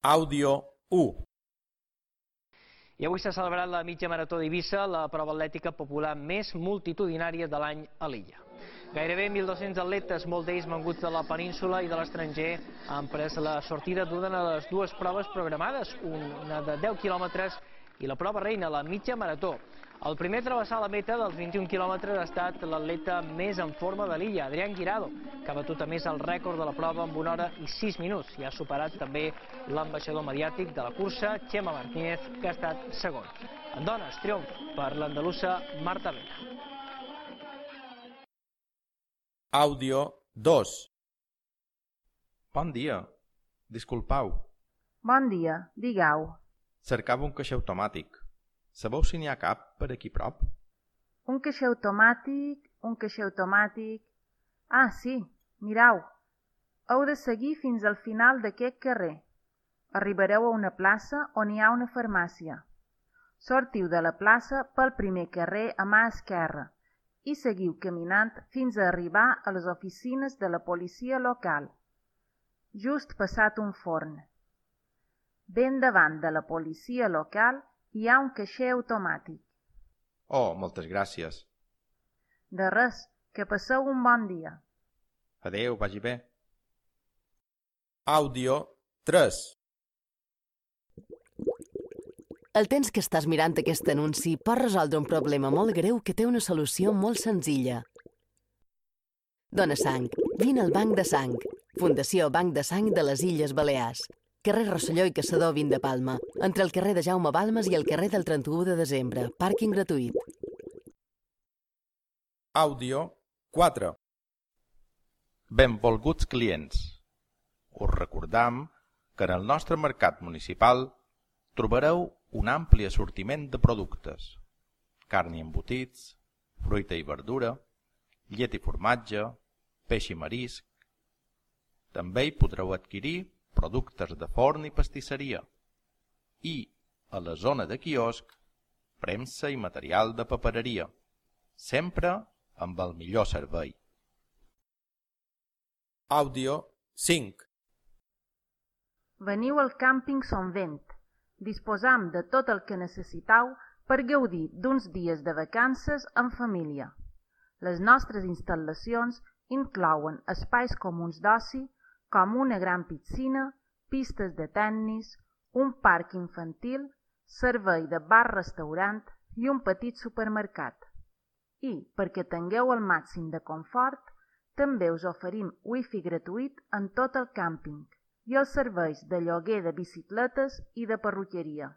Àudio 1. I avui s'ha celebrat la mitja marató d'Eivissa, la prova atlètica popular més multitudinària de l'any a l'illa. Gairebé 1.200 atletes, molts d'ells venguts de la península i de l'estranger, han pres la sortida d'una de les dues proves programades, una de 10 quilòmetres i la prova reina, la mitja marató. El primer a travessar la meta dels 21 quilòmetres ha estat l'atleta més en forma de l'illa, Adrián Guirado, que ha batut a més el rècord de la prova amb 1 hora i 6 minuts i ha superat també l'ambaixador mediàtic de la cursa, Chema Martínez, que ha estat segon. En dones, triomf per l'andalusa Marta Vela. Àudio 2. Bon dia. Disculpau. Bon dia, digueu. Cercava un caixer automàtic. Sabeu si n'hi ha cap per aquí prop? Un caixer automàtic... Ah, sí, mireu. Heu de seguir fins al final d'aquest carrer. Arribareu a una plaça on hi ha una farmàcia. Sortiu de la plaça pel primer carrer a mà esquerra i seguiu caminant fins a arribar a les oficines de la policia local, just passat un forn. Ben davant de la policia local hi ha un caixer automàtic. Oh, moltes gràcies. De res, que passeu un bon dia. Adéu, vagi bé. Àudio 3. El temps que estàs mirant aquest anunci pot resoldre un problema molt greu que té una solució molt senzilla. Dóna sang. Vine al Banc de Sang. Fundació Banc de Sang de les Illes Balears. Carrer Rosselló i Caçador 20 de Palma, entre el carrer de Jaume Balmes i el carrer del 31 de desembre. Pàrquing gratuït. Àudio 4. Benvolguts clients. Us recordam que en el nostre mercat municipal trobareu un ampli assortiment de productes. Carn i embotits, fruita i verdura, llet i formatge, peix i marisc. També hi podreu adquirir productes de forn i pastisseria i, a la zona de quiosc, premsa i material de papereria, sempre amb el millor servei. Àudio 5. Veniu al càmping Son Vent. Disposam de tot el que necessitau per gaudir d'uns dies de vacances en família. Les nostres instal·lacions inclouen espais comuns d'oci com una gran piscina, pistes de tennis, un parc infantil, servei de bar-restaurant i un petit supermercat. I, perquè tingueu el màxim de confort, també us oferim wifi gratuït en tot el càmping i els serveis de lloguer de bicicletes i de perruqueria.